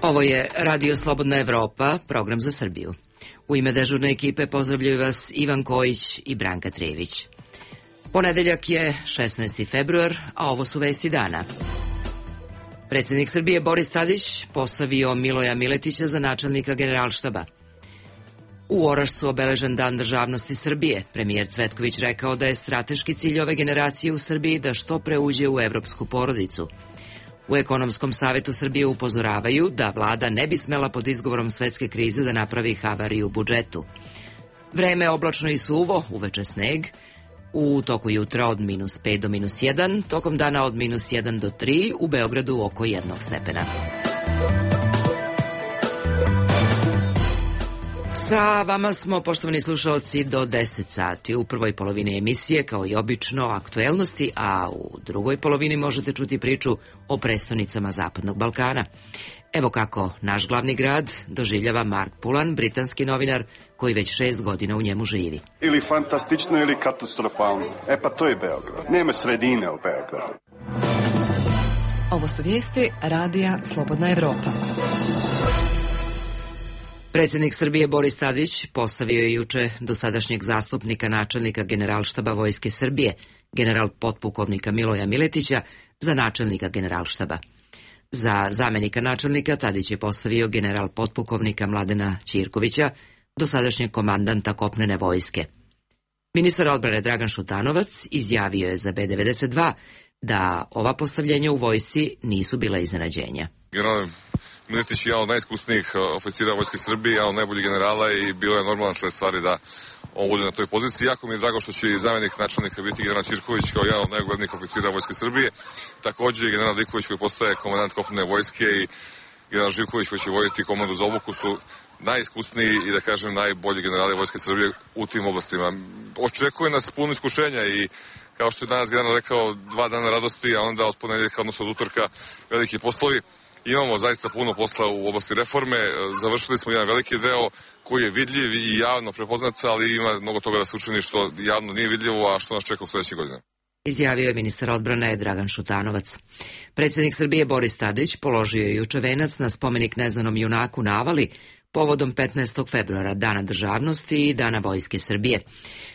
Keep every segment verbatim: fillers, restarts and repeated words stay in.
Ovo je Radio Slobodna Evropa, program za Srbiju. U ime dežurne ekipe pozdravljaju vas Ivan Kojić i Branka Trević. Ponedeljak je šesnaesti februar, a ovo su vesti dana. Predsednik Srbije Boris Tadić postavio Miloja Miletića za načelnika Generalštaba. U Orašcu obeležen Dan državnosti Srbije. Premijer Cvetković rekao da je strateški cilj ove generacije u Srbiji da što pre uđe u evropsku porodicu. U Ekonomskom savetu Srbije upozoravaju da vlada ne bi smela pod izgovorom svetske krize da napravi havariju u budžetu. Vreme oblačno i suvo, uveče sneg, u toku jutra od minus pet do minus jedan, tokom dana od minus jedan do tri, u Beogradu oko jednog stepena. Sa vama smo, poštovani slušaoci, do deset sati. U prvoj polovini emisije, kao i obično, aktuelnosti, a u drugoj polovini možete čuti priču o prestonicama Zapadnog Balkana. Evo kako naš glavni grad doživljava Mark Pulan, britanski novinar koji već šest godina u njemu živi. Ili fantastično ili katastrofalno. E pa to je Beograd. Nema sredine u Beogradu. Ovo su vijesti Radija Slobodna Evropa. Predsednik Srbije Boris Tadić postavio je juče dosadašnjeg zastupnika načelnika Generalštaba Vojske Srbije, general potpukovnika Miloja Miletića, za načelnika Generalštaba. Za zamenika načelnika Tadić je postavio general potpukovnika Mladena Ćirkovića, dosadašnjeg komandanta kopnene vojske. Ministar odbrane Dragan Šutanovac izjavio je za B devedeset dva da ova postavljenja u vojsci nisu bila iznenađenja. General Miletić je jedan od najiskusnijih oficira Vojske Srbije, jedan od najboljih generala i bilo je normalan sled stvari da on bude na toj poziciji. Jako mi je drago što će i zamenik načelnika biti general Ćirković kao jedan od najuglednijih oficira Vojske Srbije. Također i general Diković koji postaje komandant kopnene vojske i general Živković koji će voditi komandu za obuku su najiskusniji i da kažem najbolji generali Vojske Srbije u tim oblastima. Očekuje nas puno iskušenja i kao što je danas general rekao, dva dana radosti, a onda od ponedeljka, odnosno od utorka, veliki poslovi. Imamo zaista puno posla u oblasti reforme, završili smo jedan veliki deo koji je vidljiv i javno prepoznat, ali ima mnogo toga da se učini što javno nije vidljivo, a što nas čeka u sledećih godina. Izjavio je ministar odbrane Dragan Šutanovac. Predsednik Srbije Boris Tadić položio je juče venac na spomenik neznanom junaku na Avali povodom petnaestog februara, Dana državnosti i Dana Vojske Srbije.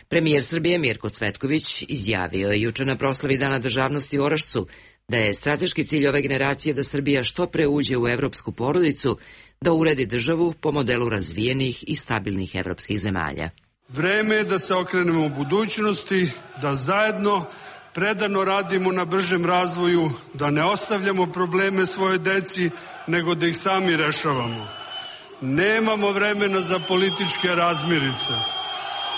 Premijer Srbije Mirko Cvetković izjavio je juče na proslavi Dana državnosti u Orašcu da je strateški cilj ove generacije da Srbija što pre uđe u evropsku porodicu, da uredi državu po modelu razvijenih i stabilnih evropskih zemalja. Vreme je da se okrenemo u budućnosti, da zajedno predano radimo na bržem razvoju, da ne ostavljamo probleme svoje deci, nego da ih sami rešavamo. Nemamo vremena za političke razmirice.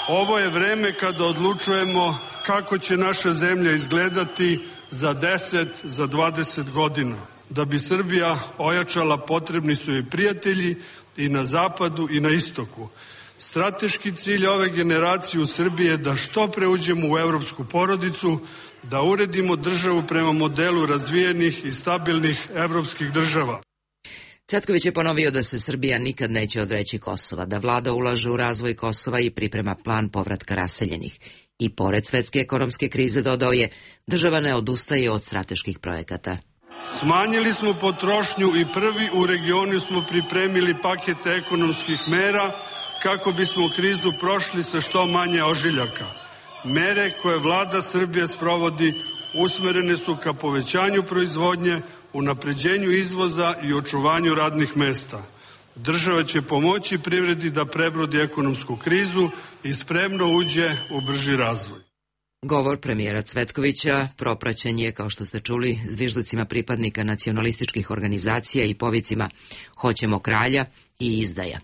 Ovo je vreme kada odlučujemo kako će naša zemlja izgledati za deset, za dvadeset godina. Da bi Srbija ojačala, potrebni su joj prijatelji i na zapadu i na istoku. Strateški cilj ove generacije u Srbiji je da što pre uđemo u evropsku porodicu, da uredimo državu prema modelu razvijenih i stabilnih evropskih država. Cvetković je ponovio da se Srbija nikad neće odreći Kosova, da vlada ulaže u razvoj Kosova i priprema plan povratka raseljenih. I pored svetske ekonomske krize, dodao je, država ne odustaje od strateških projekata. Smanjili smo potrošnju i prvi u regionu smo pripremili pakete ekonomskih mera kako bismo krizu prošli sa što manje ožiljaka. Mere koje vlada Srbije sprovodi usmerene su ka povećanju proizvodnje, unapređenju izvoza i očuvanju radnih mesta. Država će pomoći privredi da prebrodi ekonomsku krizu i spremno uđe u brži razvoj. Govor premijera Cvetkovića propraćen je, kao što ste čuli, zvižducima pripadnika nacionalističkih organizacija i povicima "Hoćemo kralja" i "Izdaja".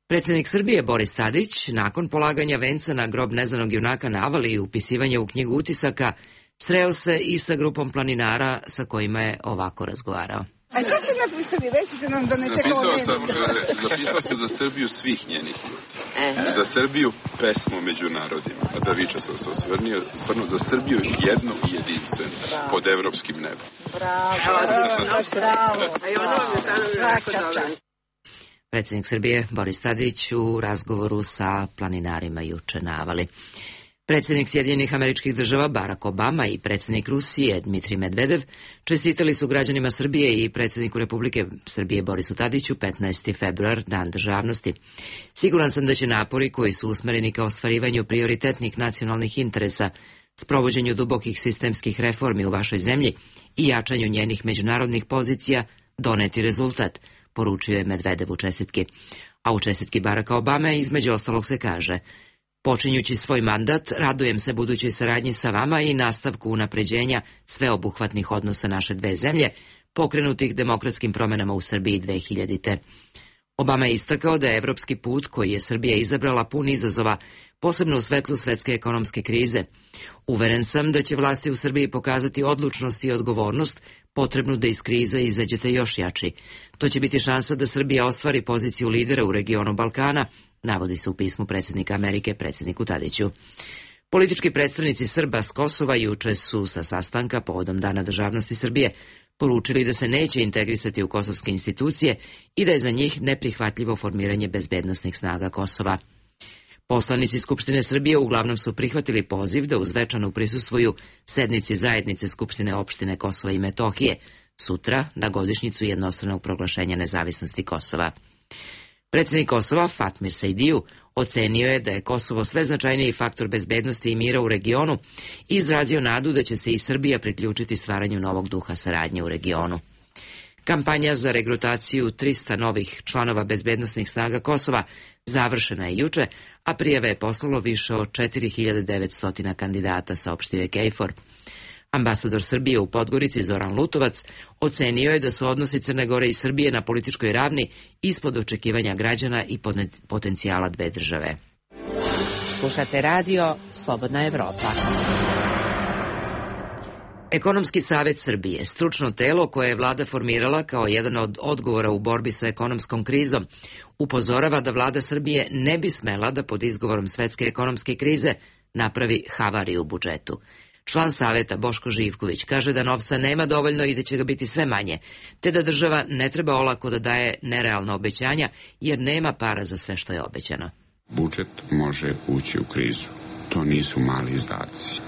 Predsednik Srbije Boris Tadić, nakon polaganja venca na grob neznanog junaka na Avali i upisivanja u knjigu utisaka, sreo se i sa grupom planinara sa kojima je ovako razgovarao. A šta ste napisali? Recite nam da ne čekamo napisao sam, napisao sam za Srbiju svih njenih ljudi. E. Za Srbiju pesmu među narodima. A da Viča sam se osvrnio, stvarno za Srbiju jednu i jedinstvenu pod evropskim nebom. Bravo, bravo, bravo. A i ono je sada jako dobro. Predsednik Srbije Boris Tadić u razgovoru sa planinarima juče na Avali. Predsjednik Sjedinjenih Američkih Država Barack Obama i predsjednik Rusije Dmitrij Medvedev čestitali su građanima Srbije i predsjedniku Republike Srbije Borisu Tadiću petnaesti februar, Dan državnosti. Siguran sam da će napori koji su usmereni ka ostvarivanju prioritetnih nacionalnih interesa, sprovođenju dubokih sistemskih reformi u vašoj zemlji i jačanju njenih međunarodnih pozicija doneti rezultat, poručio je Medvedev u čestitki. A u čestitki Baracka Obame između ostalog se kaže: počinjući svoj mandat, radujem se budućoj saradnji sa vama i nastavku unapređenja sveobuhvatnih odnosa naše dve zemlje, pokrenutih demokratskim promenama u Srbiji dve hiljadite. Obama je istakao da je evropski put koji je Srbija izabrala pun izazova, posebno u svetlu svetske ekonomske krize. Uveren sam da će vlasti u Srbiji pokazati odlučnost i odgovornost potrebnu da iz krize izađete još jači. To će biti šansa da Srbija ostvari poziciju lidera u regionu Balkana, navodi se u pismu predsjednika Amerike predsjedniku Tadiću. Politički predstavnici Srba s Kosova juče su sa sastanka povodom Dana državnosti Srbije poručili da se neće integrisati u kosovske institucije i da je za njih neprihvatljivo formiranje bezbednosnih snaga Kosova. Poslanici Skupštine Srbije uglavnom su prihvatili poziv da uz večanu prisustvuju sednici zajednice Skupštine opštine Kosova i Metohije, sutra na godišnjicu jednostranog proglašenja nezavisnosti Kosova. Predsjednik Kosova, Fatmir Sejdiju, ocenio je da je Kosovo sve značajniji faktor bezbednosti i mira u regionu i izrazio nadu da će se i Srbija priključiti stvaranju novog duha saradnje u regionu. Kampanja za regrutaciju trista novih članova bezbednosnih snaga Kosova završena je juče, a prijave je poslalo više od četiri hiljade devetsto kandidata, saopštio je KFOR. Ambasador Srbije u Podgorici Zoran Lutovac ocenio je da su odnosi Crne Gore i Srbije na političkoj ravni ispod očekivanja građana i potencijala dve države. Slušate radio Slobodna Evropa. Ekonomski savet Srbije, stručno telo koje je vlada formirala kao jedan od odgovora u borbi sa ekonomskom krizom, upozorava da vlada Srbije ne bi smela da pod izgovorom svetske ekonomske krize napravi havariju u budžetu. Član saveta Boško Živković kaže da novca nema dovoljno i da će ga biti sve manje, te da država ne treba olako da daje nerealna obećanja jer nema para za sve što je obećano. Budžet može ući u krizu. To nisu mali izdaci.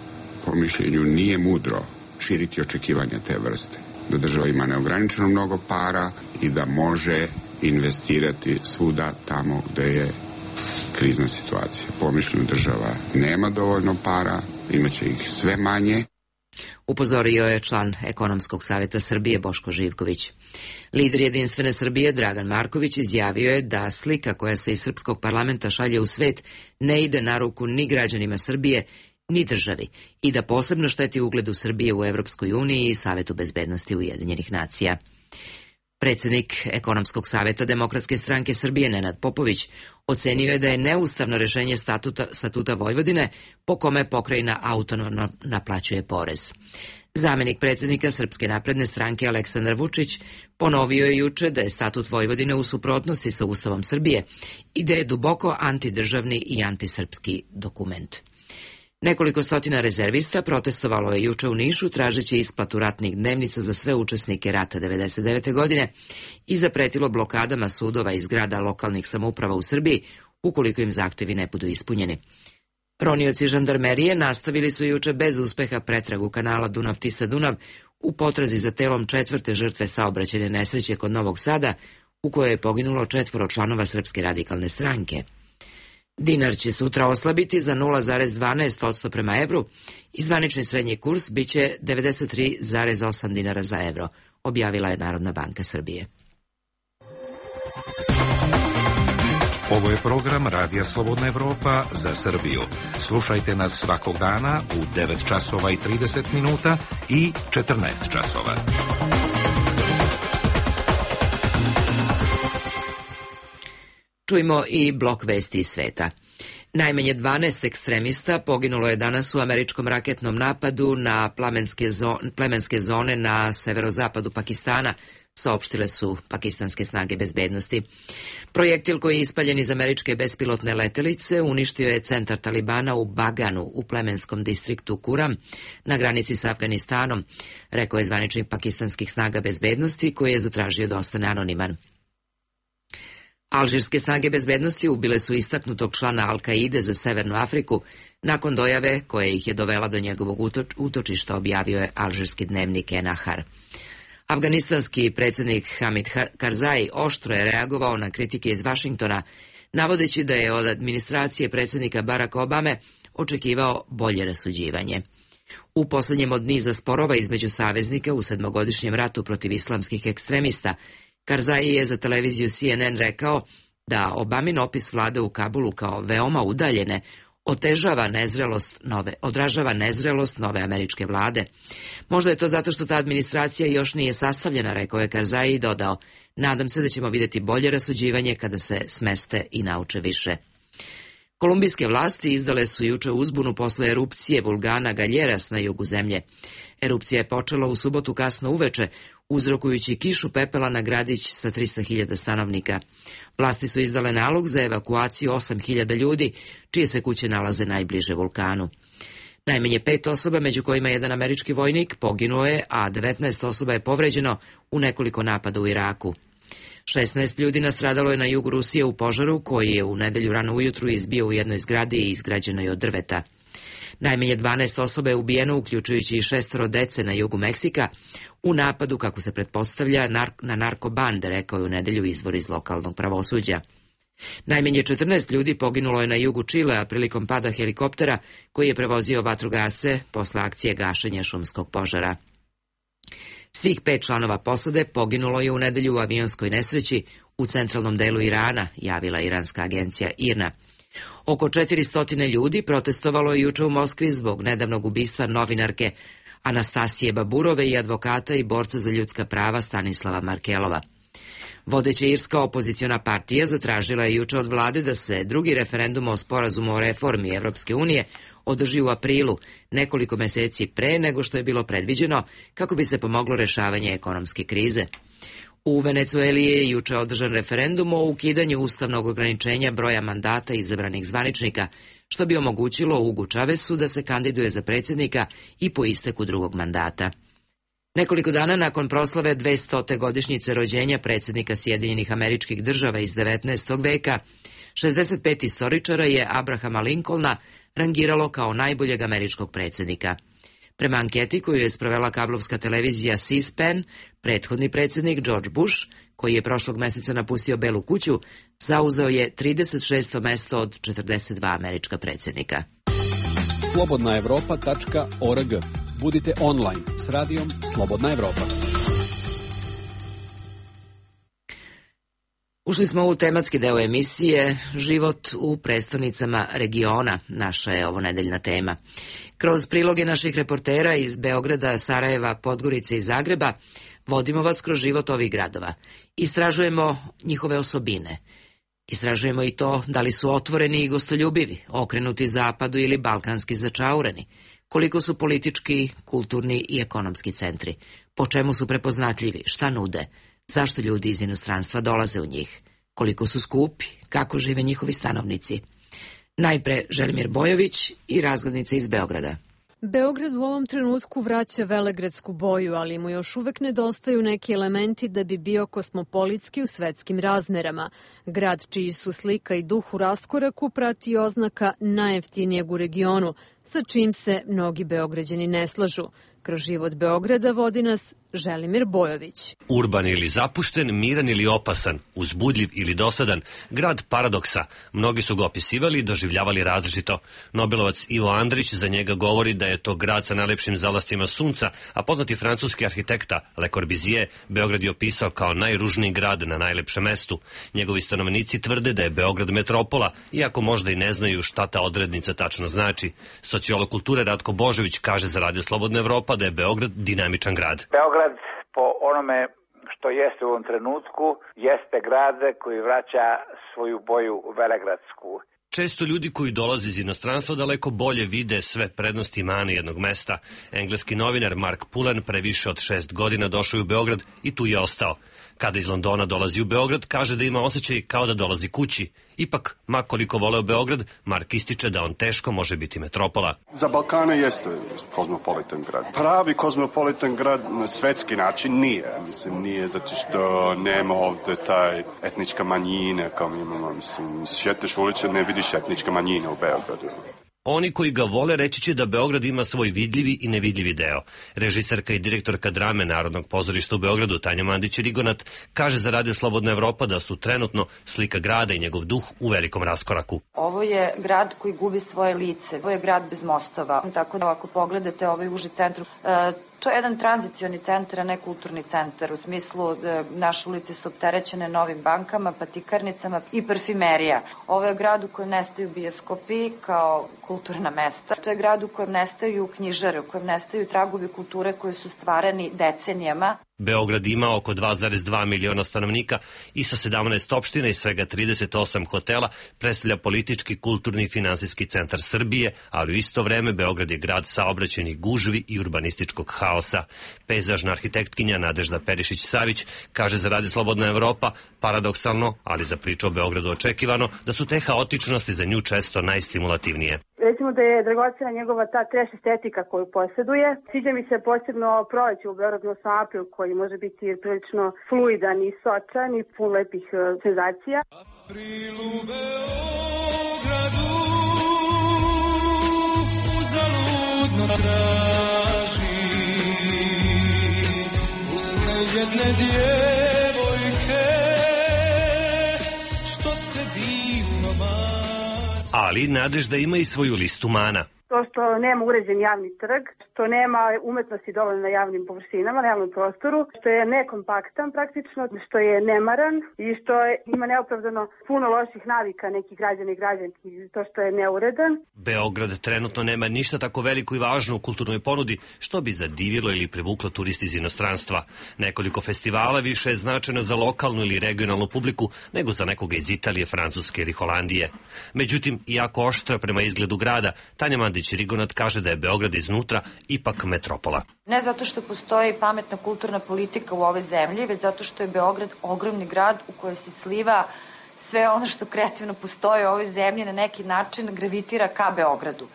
Po mišljenju nije mudro širiti očekivanja te vrste. Da država ima neograničeno mnogo para i da može investirati svuda tamo gde je krizna situacija. Po mišljenju država nema dovoljno para, imaće ih sve manje. Upozorio je član Ekonomskog saveta Srbije Boško Živković. Lider Jedinstvene Srbije Dragan Marković izjavio je da slika koja se iz srpskog parlamenta šalje u svet ne ide na ruku ni građanima Srbije, ni državi i da posebno šteti ugledu Srbije u Evropskoj uniji i Savetu bezbednosti Ujedinjenih nacija. Predsjednik Ekonomskog saveta Demokratske stranke Srbije Nenad Popović ocenio je da je neustavno rešenje statuta, statuta Vojvodine po kome pokrajina autonomno naplaćuje porez. Zamenik predsjednika Srpske napredne stranke Aleksandar Vučić ponovio je juče da je statut Vojvodine u suprotnosti sa Ustavom Srbije i da je duboko antidržavni i antisrpski dokument. Nekoliko stotina rezervista protestovalo je juče u Nišu tražeći isplatu ratnih dnevnica za sve učesnike rata devedeset devete godine i zapretilo blokadama sudova i zgrada lokalnih samouprava u Srbiji ukoliko im zahtevi ne budu ispunjeni. Ronioci žandarmerije nastavili su juče bez uspeha pretragu kanala Dunav-Tisa-Dunav u potrazi za telom četvrte žrtve saobraćajne nesreće kod Novog Sada u kojoj je poginulo četvoro članova Srpske radikalne stranke. Dinar će sutra oslabiti za nula zarez dvanaest posto prema evru i zvanični srednji kurs biće devedeset tri zarez osam dinara za evro, objavila je Narodna banka Srbije. Ovo je program Radija Slobodna Evropa za Srbiju. Slušajte nas svakog dana u devet časova i trideset minuta i četrnaest časova. Čujmo i blok vesti iz sveta. Najmanje dvanaest ekstremista poginulo je danas u američkom raketnom napadu na plemenske zone, plemenske zone na severozapadu Pakistana, saopštile su pakistanske snage bezbednosti. Projektil koji je ispaljen iz američke bespilotne letelice uništio je centar Talibana u Baganu u plemenskom distriktu Kuram na granici sa Afganistanom, rekao je zvaničnik pakistanskih snaga bezbednosti koji je zatražio da ostane anoniman. Alžirske snage bezbednosti ubile su istaknutog člana Al-Kaide za Severnu Afriku nakon dojave koja ih je dovela do njegovog utočišta, objavio je alžirski dnevnik Enahar. Afganistanski predsjednik Hamid Karzai oštro je reagovao na kritike iz Vašingtona, navodeći da je od administracije predsjednika Baracka Obame očekivao bolje rasuđivanje. U posljednjem od niza sporova između saveznika u sedmogodišnjem ratu protiv islamskih ekstremista, Karzai je za televiziju C N N rekao da Obamin opis vlade u Kabulu kao veoma udaljene otežava nezrelost nove, odražava nezrelost nove američke vlade. Možda je to zato što ta administracija još nije sastavljena, rekao je Karzai i dodao, nadam se da ćemo vidjeti bolje rasuđivanje kada se smeste i nauče više. Kolumbijske vlasti izdale su juče uzbunu posle erupcije vulkana Galjeras na jugu zemlje. Erupcija je počela u subotu kasno uveče, uzrokujući kišu pepela na gradić sa trista hiljada stanovnika. Vlasti su izdale nalog za evakuaciju osam hiljada ljudi, čije se kuće nalaze najbliže vulkanu. Najmanje pet osoba, među kojima jedan američki vojnik, poginuo je, a devetnaest osoba je povređeno u nekoliko napada u Iraku. šesnaest ljudi nastradalo je na jugu Rusije u požaru koji je u nedelju rano ujutru izbio u jednoj zgradi i izgrađenoj od drveta. Najmanje dvanaest osoba je ubijeno, uključujući i šestoro dece na jugu Meksika, u napadu, kako se pretpostavlja, na narkobande, rekao je u nedelju izvor iz lokalnog pravosuđa. Najmanje četrnaest ljudi poginulo je na jugu Čilea prilikom pada helikoptera koji je prevozio vatrogase posle akcije gašenja šumskog požara. Svih pet članova posade poginulo je u nedelju u avionskoj nesreći u centralnom delu Irana, javila iranska agencija I R N A. Oko četiristo ljudi protestovalo je juče u Moskvi zbog nedavnog ubistva novinarke Anastasije Baburove i advokata i borca za ljudska prava Stanislava Markelova. Vodeća irska opoziciona partija zatražila je juče od vlade da se drugi referendum o sporazumu o reformi Evropske unije održi u aprilu, nekoliko meseci pre nego što je bilo predviđeno, kako bi se pomoglo rešavanje ekonomske krize. U Venecueli je juče održan referendum o ukidanju ustavnog ograničenja broja mandata izabranih zvaničnika, što bi omogućilo Hugu Chavezu da se kandiduje za predsjednika i po isteku drugog mandata. Nekoliko dana nakon proslave dvestote godišnjice rođenja predsjednika Sjedinjenih Američkih Država iz devetnaestog veka, šezdeset pet istoričara je Abrahama Lincolna rangiralo kao najboljeg američkog predsjednika. Prema anketi koju je sprovela kablovska televizija C-SPAN, prethodni predsjednik George Bush, koji je prošlog meseca napustio Belu kuću, zauzeo je trideset šesto mesto od četrdeset dva američka predsjednika. slobodna evropa tačka org. Budite online s radijom Slobodna Evropa. Ušli smo u tematski deo emisije Život u prestonicama regiona, naša je ovo nedeljna tema. Kroz priloge naših reportera iz Beograda, Sarajeva, Podgorice i Zagreba vodimo vas kroz život ovih gradova. Istražujemo njihove osobine. Istražujemo i to da li su otvoreni i gostoljubivi, okrenuti zapadu ili balkanski začaureni, koliko su politički, kulturni i ekonomski centri, po čemu su prepoznatljivi, šta nude, zašto ljudi iz inostranstva dolaze u njih, koliko su skupi, kako žive njihovi stanovnici. Najpre Želimir Bojović i razglednice iz Beograda. Beograd u ovom trenutku vraća velegradsku boju, ali mu još uvek nedostaju neki elementi da bi bio kosmopolitski u svetskim razmerama. Grad čiji su slika i duh u raskoraku prati oznaka najjeftinijeg u regionu, sa čim se mnogi Beograđani ne slažu. Kroz život Beograda vodi nas Želimir Bojović. Urban ili zapušten, miran ili opasan, uzbudljiv ili dosadan, grad paradoksa. Mnogi su ga opisivali i doživljavali različito. Nobelovac Ivo Andrić za njega govori da je to grad sa najlepšim zalascima sunca, a poznati francuski arhitekta Le Corbusier Beograd je opisao kao najružniji grad na najlepšem mestu. Njegovi stanovnici tvrde da je Beograd metropola, iako možda i ne znaju šta ta odrednica tačno znači. Sociolog kulture Ratko Božović kaže za Radio Slobodna Evropa da je Beograd dinamičan grad. Beograd po onome što jeste u ovom trenutku jeste grad koji vraća svoju boju velegradsku. Često ljudi koji dolaze iz inostranstva daleko bolje vide sve prednosti i mane jednog mesta. Engleski novinar Mark Pullen pre više od šest godina došao je u Beograd i tu je ostao. Kada iz Londona dolazi u Beograd, kaže da ima osjećaj kao da dolazi kući. Ipak, ma koliko voleo Beograd, Mark ističe da on teško može biti metropola. Za Balkana jeste kozmopolitan grad. Pravi kozmopolitan grad na svetski način nije. Mislim, nije zato što nema ovde taj etnička manjina kao mi imamo. Mislim, šetaš uliče, ne vidiš etnička manjina u Beogradu. Oni koji ga vole reći će da Beograd ima svoj vidljivi i nevidljivi deo. Režiserka i direktorka drame Narodnog pozorišta u Beogradu, Tanja Mandić-Rigonat, kaže za Radio Slobodna Evropa da su trenutno slika grada i njegov duh u velikom raskoraku. Ovo je grad koji gubi svoje lice. Ovo je grad bez mostova. Tako da ako pogledate ovaj uži centar, e, to je jedan tranzicioni centar, a ne kulturni centar. U smislu da naše ulice su opterećene novim bankama, patikarnicama i parfimerija. Ovo je grad u kojem nestaju bioskopi kao kulturna mesta. To je grad u kojem nestaju knjižare, u kojem nestaju tragovi kulture koji su stvarani decenijama. Beograd ima oko dva zarez dva miliona stanovnika i sa sedamnaest opština i svega trideset osam hotela predstavlja politički, kulturni i finansijski centar Srbije, ali u isto vreme Beograd je grad saobraćajnih gužvi i urbanističkog haosa. Pejzažna arhitektkinja Nadežda Perišić-Savić kaže za Radio Slobodna Evropa paradoksalno, ali za priču o Beogradu očekivano, da su te haotičnosti za nju često najstimulativnije. Recimo da je dragocena njegova ta trash estetika koju posjeduje. Sviđa mi se posebno proleće u Beogradu osam april koji može biti prilično fluidan i sočan i pun lepih uh, senzacija. April u Beogradu uzaludno traži usne jedne djevojke što se divno mazi. Ali Nadežda ima i svoju listu mana. To što nema uređen javni trg, što nema umetnosti dovoljno na javnim površinama, na javnom prostoru, što je nekompaktan praktično, što je nemaran i što je, ima neopravdano puno loših navika nekih građana i građanki, to što je neuredan. Beograd trenutno nema ništa tako veliko i važno u kulturnoj ponudi što bi zadivilo ili privuklo turisti iz inostranstva. Nekoliko festivala više je značajno za lokalnu ili regionalnu publiku nego za nekoga iz Italije, Francuske ili Holandije. Međutim, iako oštra prema izgledu grada, Tanja Mandić-Rigonat kaže da je Beograd iznutra ipak metropola. Ne zato što postoji pametna kulturna politika u ovoj zemlji, već zato što je Beograd ogromni grad u kojoj se sliva sve ono što kreativno postoji u ovoj zemlji, na neki način gravitira ka Beogradu.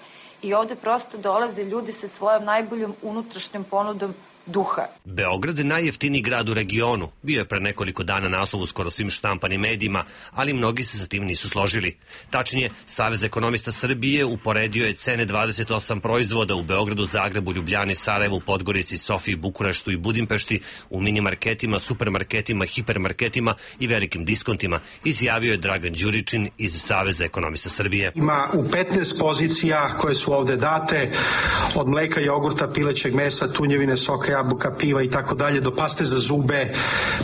I ovde prosto dolaze ljudi sa svojom najboljom unutrašnjom ponudom duha. Beograd je najjeftiniji grad u regionu. Bio je pre nekoliko dana naslov u skoro svim štampanim medijima, ali mnogi se sa tim nisu složili. Tačnije, Savez ekonomista Srbije uporedio je cene dvadeset osam proizvoda u Beogradu, Zagrebu, Ljubljani, Sarajevu, Podgorici, Sofiji, Bukureštu i Budimpešti u minimarketima, supermarketima, hipermarketima i velikim diskontima, izjavio je Dragan Đuričin iz Saveza ekonomista Srbije. Ima u petnaest pozicija koje su ovde date, od mleka, jogurta, pilećeg mesa, tunjevine, soka, jabuka, piva i tako dalje, do paste za zube,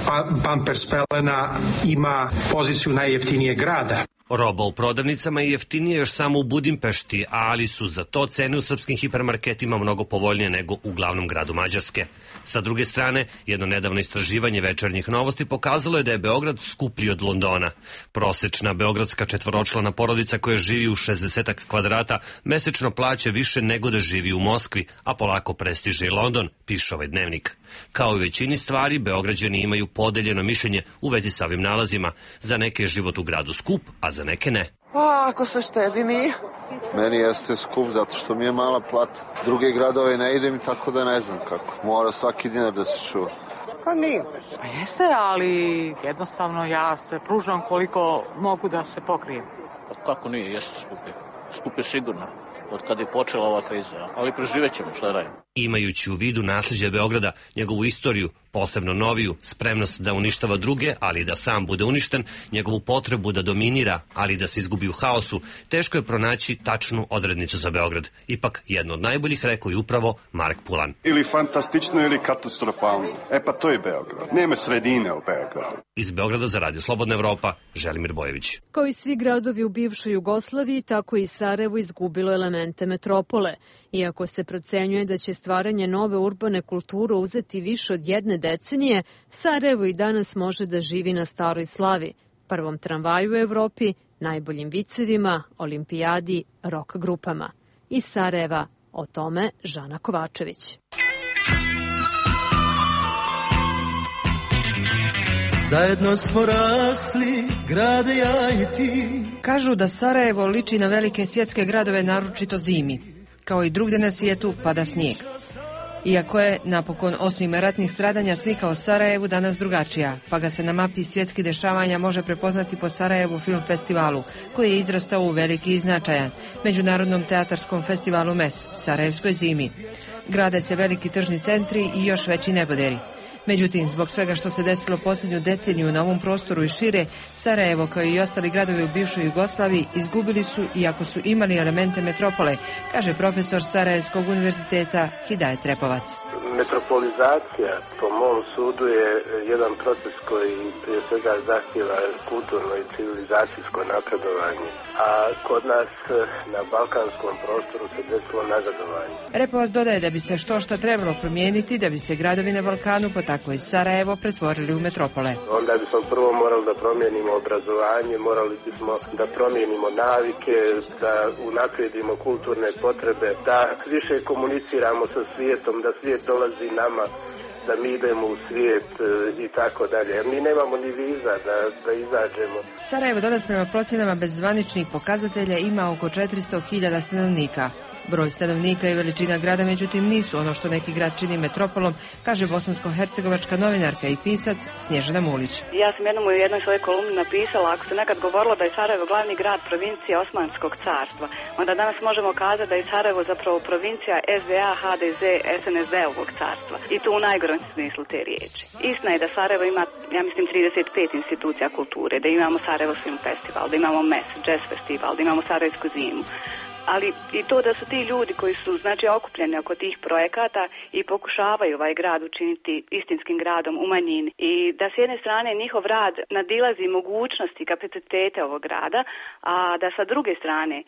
pa Pampers, pelena, ima poziciju najjeftinije grada. Roba u prodavnicama je jeftinije još samo u Budimpešti, ali su za to cene u srpskim hipermarketima mnogo povoljnije nego u glavnom gradu Mađarske. Sa druge strane, jedno nedavno istraživanje Večernjih novosti pokazalo je da je Beograd skuplji od Londona. Prosečna beogradska četvoročlana porodica koja živi u šezdeset kvadrata mesečno plaća više nego da živi u Moskvi, a polako prestiže i London, piše ovaj dnevnik. Kao i većini stvari, Beograđani imaju podeljeno mišljenje u vezi sa ovim nalazima. Za neke je život u gradu skup, a za neke ne. A, ako se štedi nije. Meni jeste skup zato što mi je mala plata. Druge gradove ne idem i tako da ne znam kako. Mora svaki dinar da se čuva. Pa nije. Pa jeste, ali jednostavno ja se pružam koliko mogu da se pokrijem. Pa kako nije, jeste skupi. Skupi sigurno. Od kada je počela ova kriza, ali preživet ćemo, šta radimo. Imajući u vidu nasljeđe Beograda, njegovu istoriju, posebno noviju, spremnost da uništava druge, ali i da sam bude uništen, njegovu potrebu da dominira, ali i da se izgubi u haosu, teško je pronaći tačnu odrednicu za Beograd. Ipak, jedno od najboljih rekao je upravo Mark Pullen. Ili fantastično ili katastrofalno. E pa to je Beograd. Nema sredine u Beogradu. Iz Beograda za Radio Slobodna Evropa, Želimir Bojević. Kao i svi gradovi u bivšoj Jugoslaviji, tako i Sarajevo izgubilo elemente metropole. Iako se procenjuje da će stvaranje nove urbane kulture uzeti više od jedne decenije, Sarajevo i danas može da živi na staroj slavi, prvom tramvaju u Evropi, najboljim vicevima, olimpijadi, rock grupama. Iz Sarajeva o tome Žana Kovačević. Zajedno smo rasli, grade ja i ti. Kažu da Sarajevo liči na velike svjetske gradove, naročito zimi. Kao i drugde na svijetu pada snijeg. Iako je, napokon, osim ratnih stradanja, slika o Sarajevu danas drugačija, pa ga se na mapi svjetskih dešavanja može prepoznati po Sarajevu film festivalu, koji je izrastao u veliki i značajan, Međunarodnom teatarskom festivalu M E S, Sarajevskoj zimi. Grade se veliki tržni centri i još veći neboderi. Međutim, zbog svega što se desilo posljednju deceniju na ovom prostoru i šire, Sarajevo, kao i ostali gradovi u bivšoj Jugoslaviji, izgubili su, iako su imali elemente metropole, kaže profesor Sarajevskog univerziteta Hidajet Repovac. Metropolizacija, po mom sudu, je jedan proces koji prije svega zahtjeva kulturno i civilizacijsko napredovanje, a kod nas na balkanskom prostoru se desilo nazadovanje. Repovac dodaje da bi se što šta trebalo promijeniti, da bi se gradovi na Balkanu, pa tako i Sarajevo, pretvorili u metropole. Onda bismo prvo morali da promijenimo obrazovanje, morali bismo da promijenimo navike, da unaprijedimo kulturne potrebe, da više komuniciramo sa svijetom, da svijet dolazi nama, da mi idemo u svijet i tako dalje. Mi nemamo ni viza da, da izađemo. Sarajevo danas prema procjenama bez zvaničnih pokazatelja ima oko četiristo hiljada stanovnika. Broj stanovnika i veličina grada, međutim, nisu ono što neki grad čini metropolom, kaže bosansko-hercegovačka novinarka i pisac Snježana Mulić. Ja sam jednom u jednoj svojoj kolumni napisala, ako se nekad govorilo da je Sarajevo glavni grad provincije Osmanskog carstva, onda danas možemo kazati da je Sarajevo zapravo provincija S D A, H D Z, S N S D-ovog carstva. I to u najgorem smislu te riječi. Istina je da Sarajevo ima, ja mislim, trideset pet institucija kulture, da imamo Sarajevo Film Festival, da imamo M E S, Jazz Festival, da imamo Sarajevsku zimu. Ali i to da su ti ljudi koji su, znači, okupljeni oko tih projekata i pokušavaju ovaj grad učiniti istinskim gradom u manjini. I da s jedne strane njihov rad nadilazi mogućnosti i kapacitete ovog grada, a da sa druge strane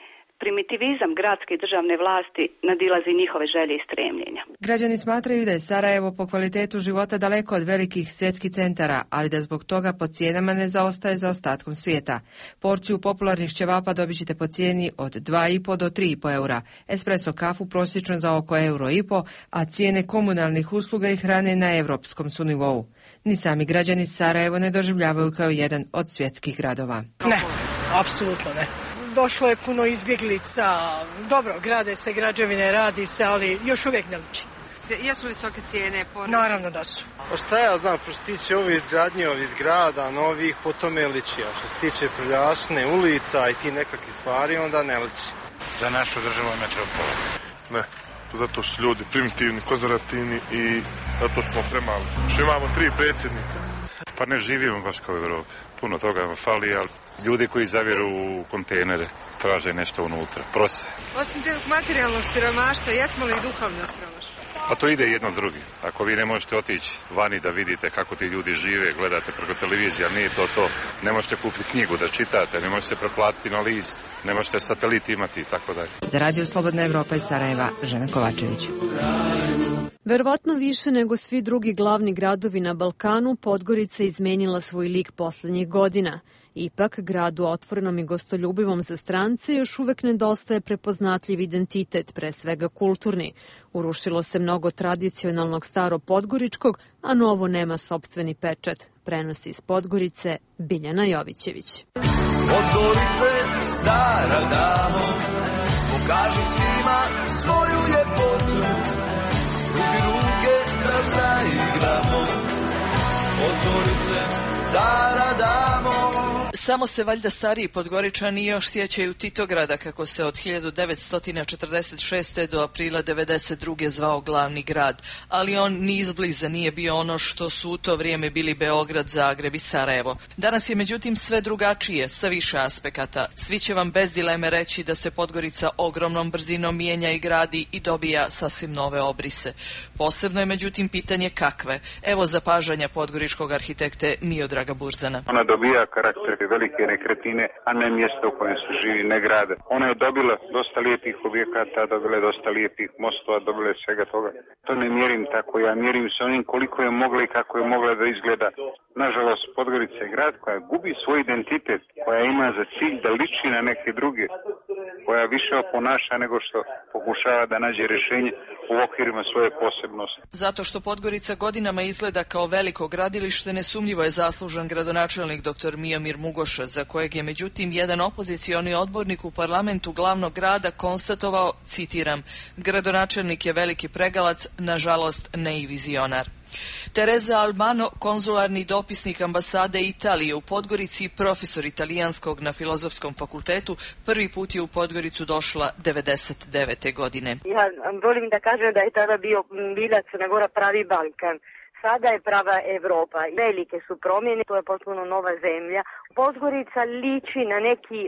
primitivizam gradske i državne vlasti nadilazi njihove želje i stremljenja. Građani smatraju da je Sarajevo po kvalitetu života daleko od velikih svjetskih centara, ali da zbog toga po cijenama ne zaostaje za ostatkom svijeta. Porciju popularnih ćevapa dobit ćete po cijeni od dva i po do tri i po eura, espresso kafu prosječno za oko euro i po, a cijene komunalnih usluga i hrane na evropskom su nivou. Ni sami građani Sarajevo ne doživljavaju kao jedan od svjetskih gradova. Ne, apsolutno ne. Došlo je puno izbjeglica, dobro, grade se građevine, radi se, ali još uvijek ne liči. Jesu visoke cijene? Naravno da su. Pa šta ja znam, što se tiče ove izgradnje ovih zgrada, novih, po tome liči, a što se tiče prljavštine ulica i ti nekakvih stvari, onda ne liči. Za našu državu metropolu. Ne, zato su ljudi primitivni, konzervativni i zato smo premali. Što imamo tri predsjednika. Pa ne živimo baš kao u Evropi. Puno toga vam fali, ali ljudi koji zavjeru u kontejnere traže nešto unutra, prose. Osim tog materijalnog siromaštva, jesmo li i duhovno siromaštvo? Pa to ide jedno s drugim. Ako vi ne možete otići vani da vidite kako ti ljudi žive, gledate preko televizije, ali nije to to. Ne možete kupiti knjigu da čitate, ne možete preplatiti na list, ne možete satelit imati i tako dalje. Za Radio Slobodna Evropa iz Sarajeva, Žena Kovačević. Verovatno više nego svi drugi glavni gradovi na Balkanu, Podgorica izmenila svoj lik poslednjih godina. Ipak, gradu otvorenom i gostoljubivom za strance još uvek nedostaje prepoznatljiv identitet, pre svega kulturni. Urušilo se mnogo tradicionalnog staro podgoričkog, a novo nema sopstveni pečat. Prenosi iz Podgorice Biljana Jovićević. Podgorice, stara damo, pokaži svima svoju ljepotu, pruži ruke da zaigramo. Podgorice, stara damo. Samo se valjda stariji Podgoričani još sjećaju Titograda, kako se od hiljadu devetsto četrdeset šeste. do aprila devedeset druge zvao glavni grad, ali on ni izbliza nije bio ono što su u to vrijeme bili Beograd, Zagreb i Sarajevo. Danas je međutim sve drugačije, sa više aspekata. Svi će vam bez dileme reći da se Podgorica ogromnom brzinom mijenja i gradi i dobija sasvim nove obrise. Posebno je međutim pitanje kakve. Evo zapažanja podgoričkog arhitekte Miodraga Burzana. Ona dobija karakter nekakve velike nekretnine, a ne mjesto u kojem se živi, ne grade. Ona je dobila dosta lijepih objekata, dobila je dosta lijepih mostova, dobila je svega toga. To ne mjerim tako, ja mjerim se onim koliko je mogla i kako je mogla da izgleda. Nažalost, Podgorica je grad koja gubi svoj identitet, koja ima za cilj da liči na neke druge, koja više oponaša nego što pokušava da nađe rješenje u okvirima svoje posebnosti. Zato što Podgorica godinama izgleda kao veliko gradilište, nesumnjivo je zaslužan gradonačelnik dr. Miomir Mugoša, za kojeg je međutim jedan opozicioni odbornik u parlamentu glavnog grada konstatovao, citiram, gradonačelnik je veliki pregalac, nažalost ne i vizionar. Teresa Albano, konzularni dopisnik ambasade Italije u Podgorici i profesor italijanskog na Filozofskom fakultetu, prvi put je u Podgoricu došla devedeset devete godine. Ja volim da kažem da je tada bio bila Crna Gora pravi Balkan. Sada je prava Evropa. Velike su promjene, to je potpuno nova zemlja. Podgorica liči na neki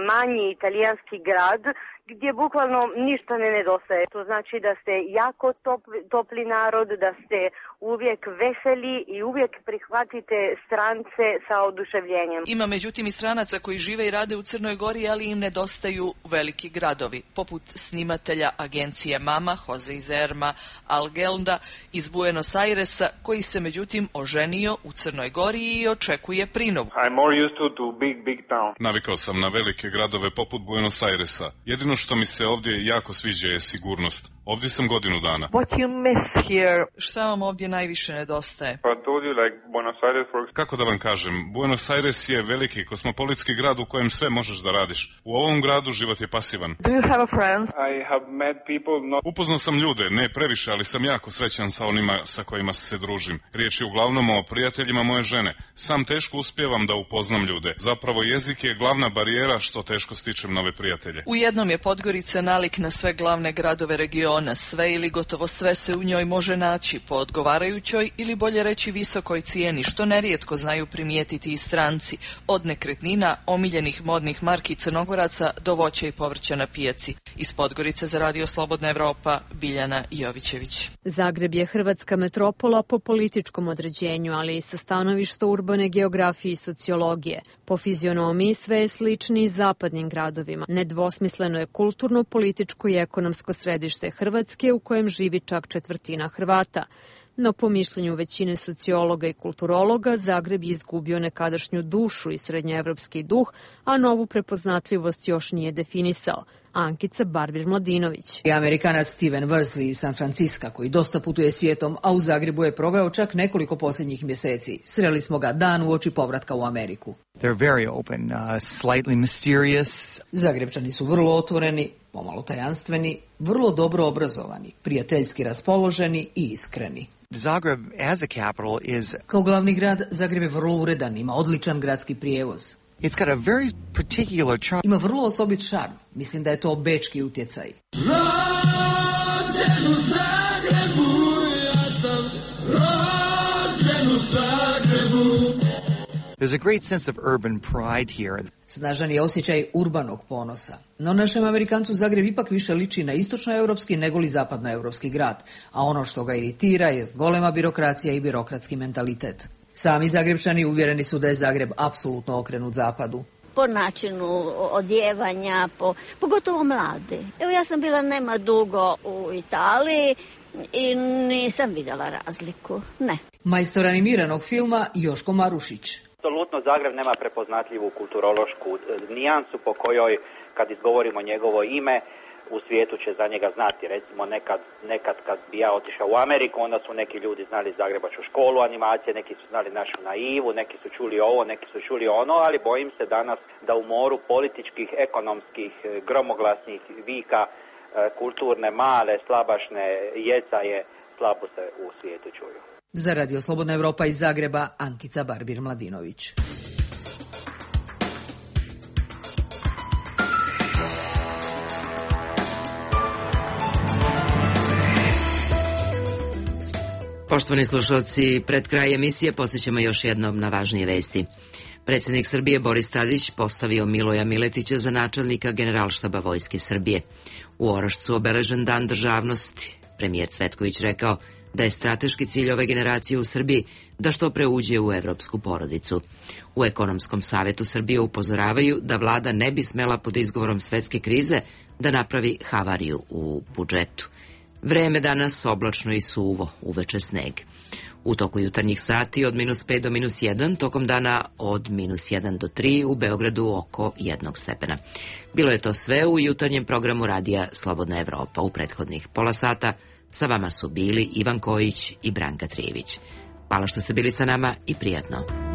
manji italijanski grad gdje bukvalno ništa ne nedostaje. To znači da ste jako topli, topli narod, da ste uvijek veseli i uvijek prihvatite strance sa oduševljenjem. Ima međutim i stranaca koji žive i rade u Crnoj Gori, ali im nedostaju veliki gradovi, poput snimatelja agencije Mama, Jose Izerma Algelda iz Buenos Airesa, koji se međutim oženio u Crnoj Gori i očekuje prinovu. I'm more used to, to big, big town. Navikao sam na velike gradove poput Buenos Airesa. Jedino što mi se ovdje jako sviđa je sigurnost. Ovdje sam godinu dana. What you miss here? Šta vam ovdje najviše nedostaje? Kako da vam kažem, Buenos Aires je veliki kosmopolitski grad u kojem sve možeš da radiš. U ovom gradu život je pasivan. Do you have a friend? I have met people not... Upoznao sam ljude, ne previše, ali sam jako srećan sa onima sa kojima se družim. Riječ je uglavnom o prijateljima moje žene. Sam teško uspijevam da upoznam ljude. Zapravo jezik je glavna barijera što teško stičem nove prijatelje. U jednom je Podgorica nalik na sve glavne gradove regiona. Sve ili gotovo sve se u njoj može naći po odgovarajućoj ili bolje reći visokoj cijeni, što nerijetko znaju primijetiti i stranci, od nekretnina, omiljenih modnih marki Crnogoraca do voća i povrća na pijaci. Iz Podgorice za Radio Slobodna Evropa, Biljana Jovićević. Zagreb je hrvatska metropola po političkom određenju, ali i sa stanovišta urbane geografije i sociologije. Po fizionomiji sve je slični i zapadnim gradovima. Nedvosmisleno je kulturno, političko i ekonomsko središte Hrvatske u kojem živi čak četvrtina Hrvata. No po mišljenju većine sociologa i kulturologa, Zagreb je izgubio nekadašnju dušu i srednjoevropski duh, a novu prepoznatljivost još nije definisao. Ankica Barbir-Mladinović. I Amerikanac Steven Worsley iz San Francisca, koji dosta putuje svijetom, a u Zagrebu je proveo čak nekoliko posljednjih mjeseci. Sreli smo ga dan uoči povratka u Ameriku. They're very open, uh, slightly mysterious. Zagrebčani su vrlo otvoreni, pomalo tajanstveni, vrlo dobro obrazovani, prijateljski raspoloženi i iskreni. Zagreb as a capital is... Kao glavni grad, Zagreb je vrlo uredan, ima odličan gradski prijevoz. It's got a very particular charm. Ima vrlo osobit šarm. Mislim da je to bečki utjecaj. Rođen u Zagrebu, ja sam rođen u Zagrebu. There's a great sense of urban pride here. Snažan je osjećaj urbanog ponosa. No našem Amerikancu Zagreb ipak više liči na istočnoevropski nego li zapadnoevropski grad, a ono što ga iritira je golema birokracija i birokratski mentalitet. Sami Zagrebčani uvjereni su da je Zagreb apsolutno okrenut zapadu. Po načinu odjevanja, po, pogotovo mlade. Evo ja sam bila nema dugo u Italiji i nisam vidjela razliku, ne. Majstor animiranog filma Joško Marušić. Apsolutno Zagreb nema prepoznatljivu kulturološku nijansu po kojoj kad izgovorimo njegovo ime u svijetu će za njega znati. Recimo nekad, nekad kad bi ja otišao u Ameriku, onda su neki ljudi znali Zagrebačku školu animacije, neki su znali našu Naivu, neki su čuli ovo, neki su čuli ono, ali bojim se danas da u moru političkih, ekonomskih, gromoglasnih vika, kulturne, male, slabašne jecaje slabo se u svijetu čuju. Za Radio Slobodna Evropa iz Zagreba, Ankica Barbir-Mladinović. Poštovani slušalci, pred kraj emisije podsjećamo još jednom na važnije vesti. Predsjednik Srbije Boris Tadić postavio Miloja Miletića za načelnika Generalštaba Vojske Srbije. U Orašcu obeležen dan državnosti. Premijer Cvetković rekao da je strateški cilj ove generacije u Srbiji da što pre uđe u evropsku porodicu. U Ekonomskom savetu Srbije upozoravaju da vlada ne bi smela pod izgovorom svetske krize da napravi havariju u budžetu. Vreme danas oblačno i suvo, uveče sneg. U toku jutarnjih sati od minus pet do minus jedan, tokom dana od minus jedan do tri, u Beogradu oko jednog stepena. Bilo je to sve u jutarnjem programu radija Slobodna Evropa. U prethodnih pola sata sa vama su bili Ivan Kojić i Branka Trijević. Hvala što ste bili sa nama i prijatno.